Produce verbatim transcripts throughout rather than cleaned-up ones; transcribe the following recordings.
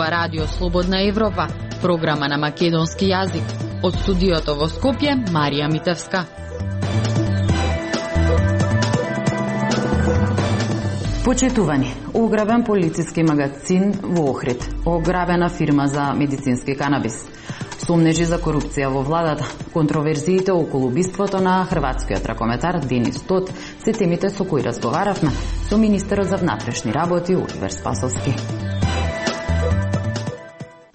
ова Радио Слободна Европа, програма на македонски јазик. Од студиото во Скопје, Марија Митевска. Почитувани, ограбен полициски магазин во Охрид, ограбена фирма за медицински канабис, сомнежи за корупција во владата, контроверзиите околу убиството на хрватскиот ракометар Денис Тот се темите со кои разговаравме со министерот за внатрешни работи Оливер Спасовски.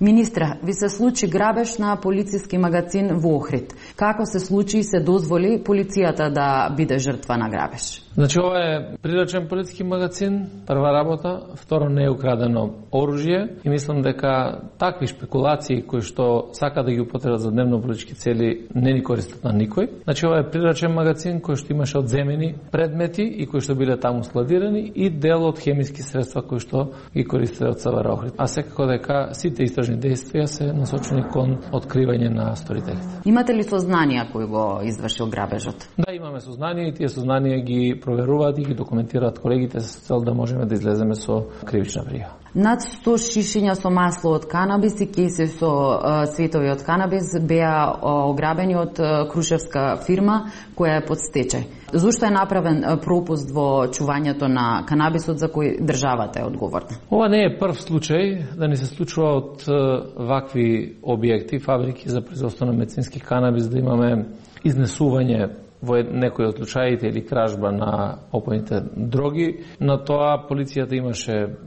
Министра, ви се случи грабеж на полициски магазин во Охрид. Како се случи и се дозволи полицијата да биде жртва на грабеж? Значи, ова е приречен полициски магазин, прва работа, второ не е украдено оружје и мислам дека такви шпекулации кои што сака да ги употребат за дневно политички цели не ни користат на никој. Значи, ова е приречен магазин кој што имаше одземени предмети и кои што биле таму складирани и дел од хемиски средства кои што ги користеле од СВР Охрид. А секако дека сите истражни действија се насочени кон откривање на сторителите. Имате ли сознанија кој го извршил грабежот? Да, имаме сознание и тие сознанија ги проверуваат и ги документираат колегите со цел да можеме да излеземе со кривична пријава. Над сто шишиња со масло од канабис и кейси со uh, цветови од канабис беа uh, ограбени од uh, крушевска фирма која е под стечај. Зошто е направен uh, пропуст во чувањето на канабисот за кој државата е одговорна? Ова не е прв случај да ни се случува од uh, вакви објекти, фабрики за производство на медицински канабис, да имаме изнесување во некои од случаите или кражба на опојните дроги. На тоа полицијата имаше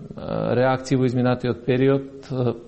реакции во изминатиот период.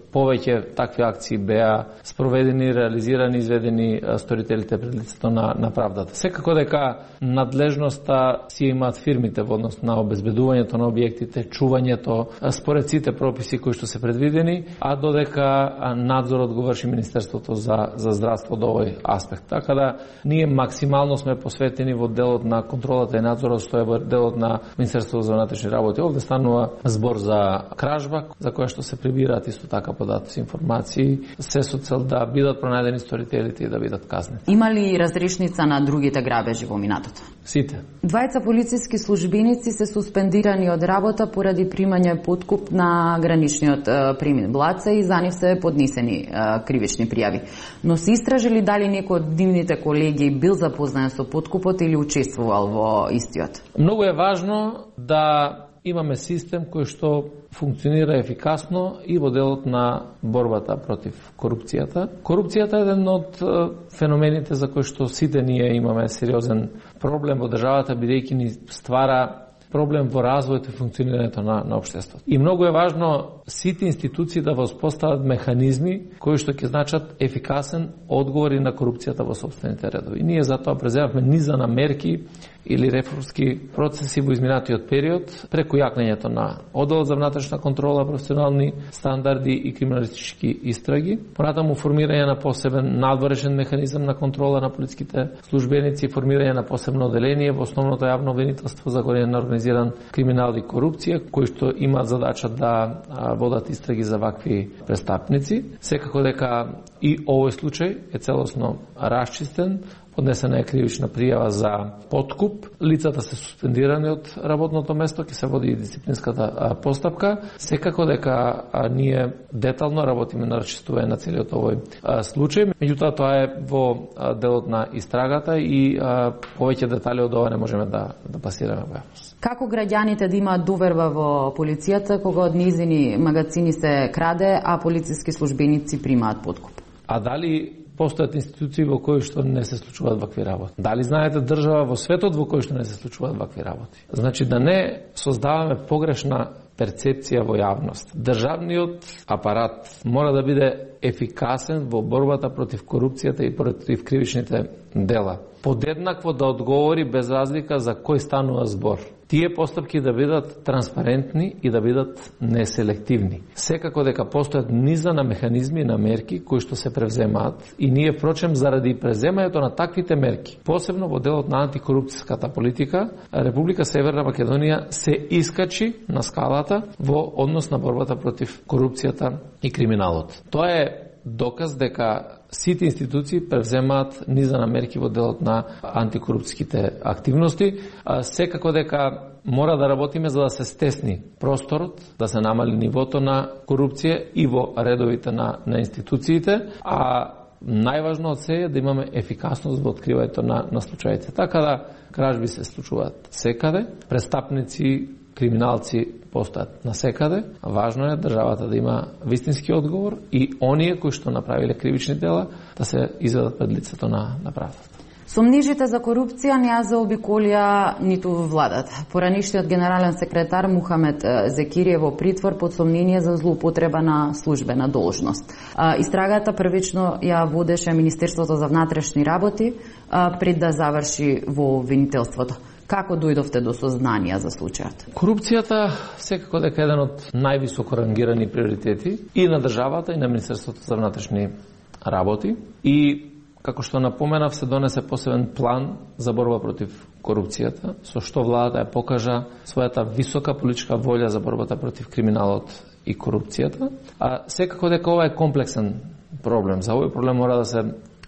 Повеќе такви акции беа спроведени, реализирани, изведени сторителите пред лицето на, на правдата. Секако дека надлежноста си имаат фирмите во однос на обезбедувањето на објектите, чувањето, според сите прописи кои што се предвидени, а додека надзорот го врши Министерството за, за здравство до овој аспект. Така да ние максимално сме посветени во делот на контролата и надзорот, што е во делот на Министерството за внатрешни работи. Овде станува збор за кражба, за која што се прибираат исто така податоци, информации, се со цел да бидат пронајдени сторителите и да бидат казнени. Има ли разрешница на другите грабежи во минатото? Сите. Двајца полициски службеници се суспендирани од работа поради примање подкуп на граничниот премин Блаце и за нив се поднесени е, кривични пријави. Но се истражили дали некој од нивните колеги бил запознаен со подкупот или учествувал во истиот? Многу е важно да имаме систем кој што функционира ефикасно и во делот на борбата против корупцијата. Корупцијата е еден од феномените за кои што сите ние имаме сериозен проблем во државата, бидејќи ни ствара проблем во развојот и функционирањето на, на општеството. И многу е важно сите институции да воспостават механизми кои што ќе значат ефикасен одговор и на корупцијата во сопствените редови. И ние затоа преземавме низа на мерки или реформски процеси во изминатиот период, преку јакнењето на одделот за внатрешна контрола, професионални стандарди и криминалистички истраги, понатаму формирање на посебен надворешен механизам на контрола на полициските службеници, формирање на посебно оделение во основното јавно обвинителство за гонење на организиран криминал и корупција, кои што имаат задача да водат истраги за вакви престапници. Секако дека и овој случај е целосно расчистен, поднесена е кривична пријава за подкуп, лицата се суспендирани од работното место, ќе се води и дисциплинската постапка. Секако дека ние детално работиме на расчистување на целиот овој случај. Меѓутоа, тоа е во делот на истрагата и повеќе детали од ова не можеме да, да пасираме во јавност. Како граѓаните да имаат доверба во полицијата кога од низини магазини се краде, а полициски службеници примаат подкуп? А дали постојат институции во кои што не се случуваат вакви работи? Дали знаете држава во светот во кој што не се случуваат вакви работи? Значи да не создаваме погрешна перцепција во јавност. Државниот апарат мора да биде ефикасен во борбата против корупцијата и против кривичните дела. Подеднакво да одговори без разлика за кој станува збор. Тие постапки да бидат транспарентни и да бидат неселективни. Секако дека постојат низа на механизми и на мерки кои што се превземаат и ние впрочем заради преземањето на таквите мерки, посебно во делот на антикорупцијската политика, Република Северна Македонија се искачи на скалата во однос на борбата против корупцијата и криминалот. Тоа е доказ дека сите институции превземаат низа на мерки во делот на антикорупцијските активности. Секако дека мора да работиме за да се стесни просторот, да се намали нивото на корупција и во редовите на, на институциите, а најважно од се е да имаме ефикасност во откривањето на, на случаите. Така да кражби се случуваат секаде, престапници, криминалци постојат насекаде. Важно е државата да има вистински одговор и оние кои што направиле кривични дела да се изведат пред лицето на, на правдата. Сомнижите за корупција не ја заобиколија ниту владата. Поранишниот генерален секретар Мухамед Зекири е во притвор под сомнение за злоупотреба на службена должност. Истрагата првично ја водеше Министерството за внатрешни работи пред да заврши во обвинителството. Како дојдовте до сознанија за случајот? Корупцијата секако дека е еден од највисоко рангирани приоритети и на државата и на Министерството за внатрешни работи. И како што напоменав, се донесе посебен план за борба против корупцијата, со што владата ја покажа својата висока политичка волја за борбата против криминалот и корупцијата. А секако дека ова е комплексен проблем. За овој проблем мора да се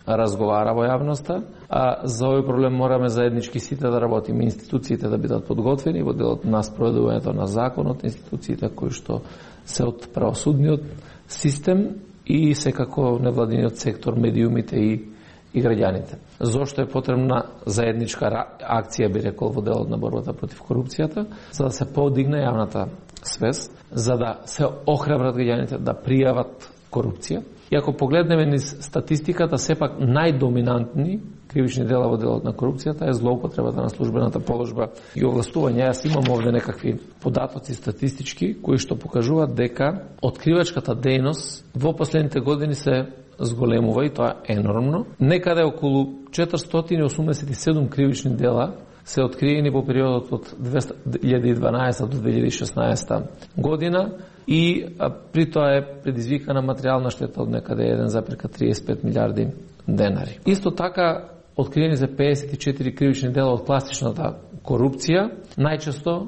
разговара во јавноста, а за овој проблем мораме заеднички сите да работиме, институциите да бидат подготвени во делот на спроведувањето на законот, институциите кои што се од правосудниот систем и секако невладиниот сектор, медиумите и и граѓаните. Зошто е потребна заедничка акција, би рекол, во делот на борбата против корупцијата, за да се подигне јавната свест, за да се охрабрат граѓаните да пријават корупција. И ако погледнеме низ статистиката, сепак најдоминантни кривични дела во делот на корупцијата е злоупотребата на службената положба и овластување. Јас имам овде некакви податоци статистички кои што покажуваат дека откривачката дејност во последните години се зголемува и тоа е енормно. Некаде околу четиристотини и осумдесет и седум кривични дела се откриени во периодот од две илјади и дванаесета до две илјади и шеснаесета година и при тоа е предизвикана материјална штета од некаде еден зарез триесет и пет милијарди денари. Исто така откриени се педесет и четири кривични дела од класичната корупција, најчесто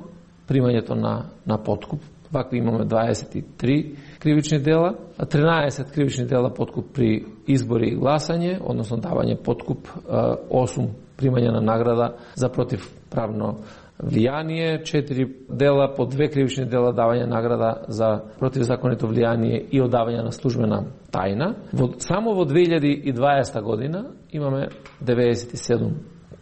примањето на на подкуп. Вакви имаме дваесет и три кривични дела, а тринаесет кривични дела подкуп при избори и гласање, односно давање подкуп, осум примање на награда за противправно влијание, четири дела по две кривични дела давање награда за противзаконито влијание и одавање на службена тајна. Во, само во две илјади и дваесета година имаме деветдесет и седум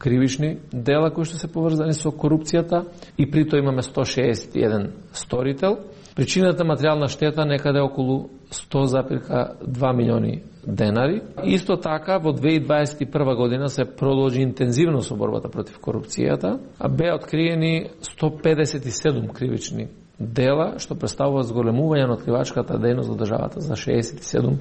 кривични дела кои што се поврзани со корупцијата и при тоа имаме сто шеесет и еден сторител. Причината материјална штета некаде околу сто зарез два милиони денари. Исто така во две илјади дваесет и прва година се продолжи интензивно со борбата против корупцијата, а беа откриени сто педесет и седум кривични дела, што представува зголемување на откривачката дејност во државата за шеесет и седум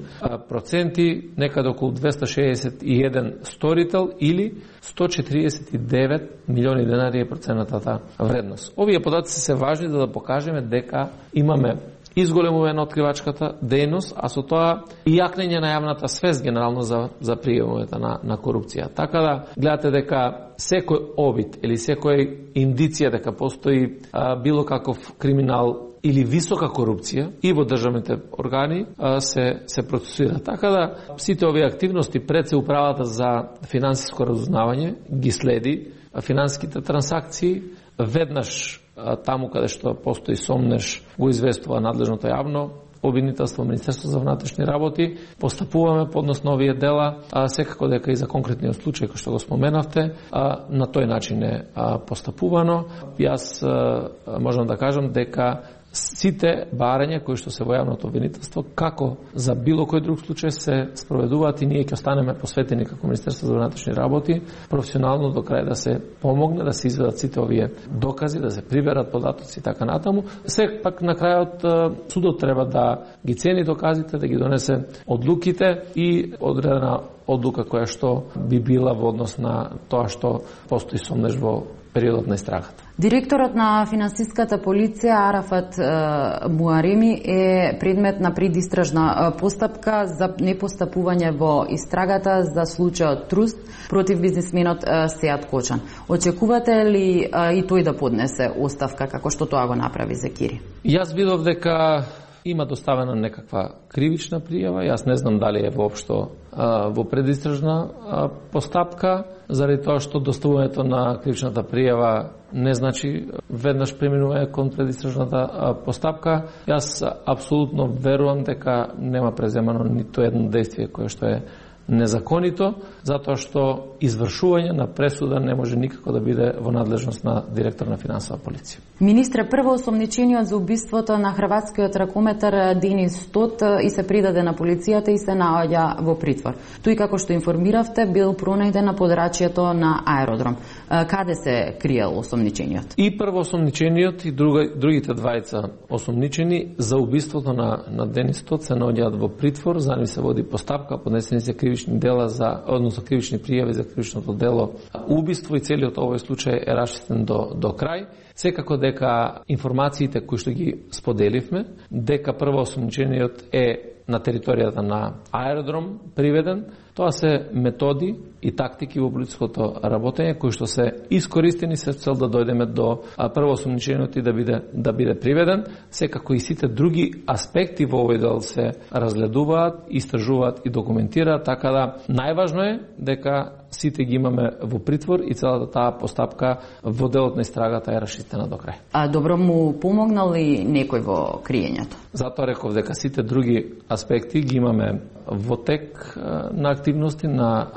проценти, некаде околу двесте шеесет и еден сторител или сто четиридесет и девет милиони денари е проценатата вредност. Овие податоци се важни за да покажеме дека имаме изголемување на откривачката дејност, а со тоа и јакнење на јавната свест генерално за, за пријавувањето на, на корупција. Така да гледате дека секој обид или секој индиција дека постои а, било каков криминал или висока корупција и во државните органи а, се, се процесуира. Така да сите овие активности пред се управата за финансиско разузнавање ги следи финансиските трансакции, веднаш таму каде што постои сомнеш го известува надлежното јавно обвинителство, Министерство за внатрешни работи, постапуваме поднос на овие дела, а секако дека и за конкретниот случај кој што го споменавте, а, на тој начин е а, постапувано. Јас а, можам да кажам дека сите барања кои што се во јавното обвинителство, како за било кој друг случај се спроведуваат и ние ќе останеме посветени како Министерство за внатрешни работи професионално до крај да се помогне да се изведат сите овие докази, да се приберат податоци и така натаму. Сепак на крајот судот треба да ги цени доказите, да ги донесе одлуките и одредена одлука која што би била во однос на тоа што постои сомнеш во периодот на истрагата. Директорот на финансиската полиција Арафат е, Муареми е предмет на предистражна постапка за непостапување во истрагата за случајот Труст против бизнисменот е, Сеат Кочан. Очекувате ли е, и тој да поднесе оставка како што тоа го направи Зекири? Јас видов дека има доставена некаква кривична пријава, јас не знам дали е воопшто а, во предистражна а, постапка, заради тоа што доставувањето на кривичната пријава не значи веднаш преминува кон предистражната а, постапка. Јас апсолутно верувам дека нема преземано ниту едно действие кое што е незаконито, затоа што извршување на пресуда не може никако да биде во надлежност на директор на финансова полиција. Министре, прво осомничениот за убиството на хрватскиот ракометар Денис Тот и се придаде на полицијата и се наоѓа во притвор. Тој, како што информиравте, бил пронајден на подрачјето на аеродром. Каде се криел осомничениот? И прво осомничениот и друга, другите двајца осомничени за убиството на, на Денис Тот се наоѓаат во притвор, за нив се води постапка, поднесени се кривични дела за, односно кривични пријави за кривичното дело убиство и целиот овој случај е расчистен до, до крај. Секако дека информациите кои што ги споделивме, дека прво осомничениот е на територијата на аеродром приведен, тоа се методи и тактики во полициското работење кои што се искористени се цел да дојдеме до прво осомничениот и да биде да биде приведен. Секако и сите други аспекти во овој дел се разгледуваат, истражуваат и документираат, така да најважно е дека сите ги имаме во притвор и целата таа постапка во делот на истрагата е расчистена до крај. А добро му помогнал ли некој во криењето? Затоа реков дека сите други аспекти ги имаме во тек на активности на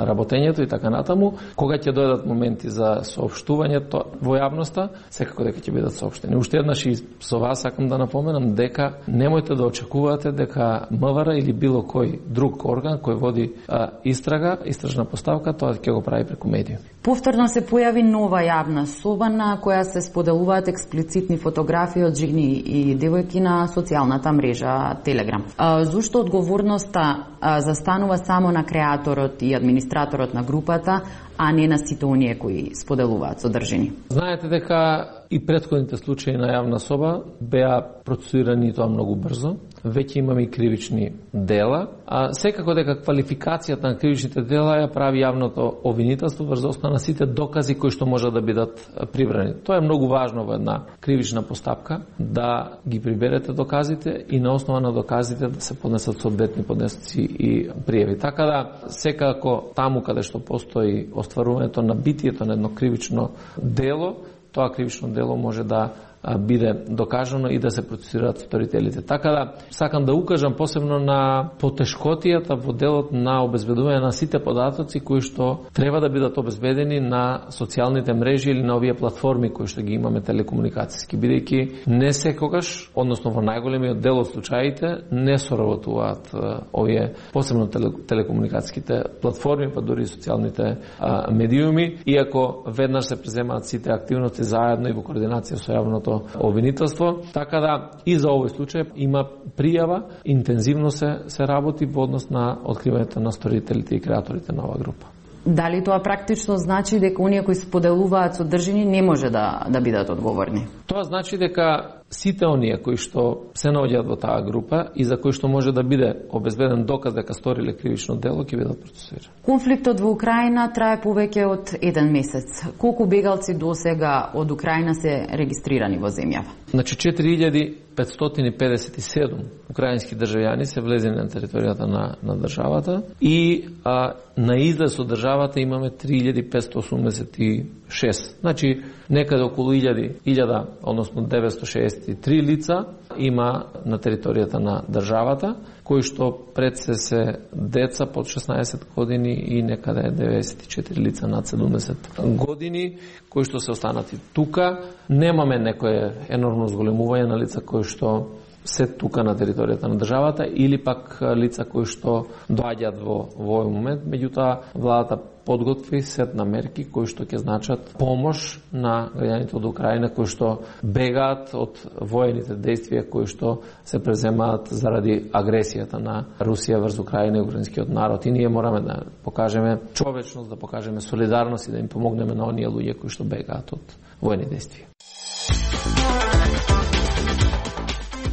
работењето и така натаму. Кога ќе дојдат моменти за соопштувањето во јавноста, секако дека ќе бидат соопштени. Уште еднаш и со вас сакам да напоменам дека немојте да очекувате дека МВР или било кој друг орган кој води а, истрага, истражна поставка, тоа ќе го прави преку медиуми. Повторно се појави нова јавна соба на која се споделуваат експлицитни фотографии од жени и девојки на социјалната мрежа Телеграм. А, зошто одговорноста а, застанува само на креаторот и администраторот на групата, а не на сите оние кои споделуваат содржини? Знаете дека и претходните случаи на јавна соба беа процесуирани тоа многу брзо. Веќе имаме и кривични дела, а секако дека квалификацијата на кривичните дела ја прави јавното обвинителство врз основа на сите докази кои што можат да бидат прибрани. Тоа е многу важно во една кривична постапка, да ги приберете доказите и на основа на доказите да се поднесат соодветни поднесоци и пријави. Така да секако таму каде што постои остварувањето на битието на едно кривично дело, тоа кривично дело може да биде докажано и да се процесираат сторителите. Така да сакам да укажам посебно на потешкотијата во делот на обезбедување на сите податоци кои што треба да бидат обезбедени на социјалните мрежи или на овие платформи кои што ги имаме телекомуникацијски, бидејќи не секогаш, односно во најголемиот дел од случаите, не соработуваат овие посебно телекомуникацијските платформи, па дури и социјалните а, медиуми, иако веднаш се преземаат сите активности заедно и во координација со јавното обвинителство, така да и за овој случај има пријава, интензивно се, се работи во однос на откривањето на сторителите и креаторите на оваа група. Дали тоа практично значи дека оние кои споделуваат содржини не може да, да бидат одговорни? Тоа значи дека сите оние кои што се наоѓаат во таа група и за кои што може да биде обезбеден доказ дека сториле кривично дело, ќе бидат процесирани. Конфликтот во Украина трае повеќе од еден месец. Колку бегалци досега од Украина се регистрирани во земјава? Значи четири илјади петстотини педесет и седум украински државјани се влезени на територијата на, на државата и а, на излез од државата имаме три илјади петстотини осумдесет и шест. Значи некаде околу илјада, односно деветстотини шеесет и три лица има на територијата на државата, кои што пред се се деца под шеснаесет години и некаде деветдесет и четири лица над седумдесет години, кои што се останати тука. Немаме некое енормно зголемување на лица кои што се тука на територијата на државата или пак лица кои што доаѓаат во, во овој момент. Меѓутоа, владата подготви сет на мерки кои што ќе значат помош на граѓаните од Украина кои што бегаат од воените действија кои што се преземаат заради агресијата на Русија врз Украина и украинскиот народ. И ние мораме да покажеме човечност, да покажеме солидарност и да им помогнеме на оние луѓе кои што бегаат од воени действија.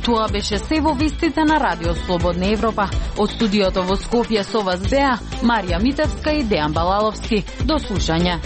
Тоа беше се во вестите на Радио Слободна Европа. Од студиото во Скопје со вас беа Марија Митевска и Дејан Балаловски. До слушање.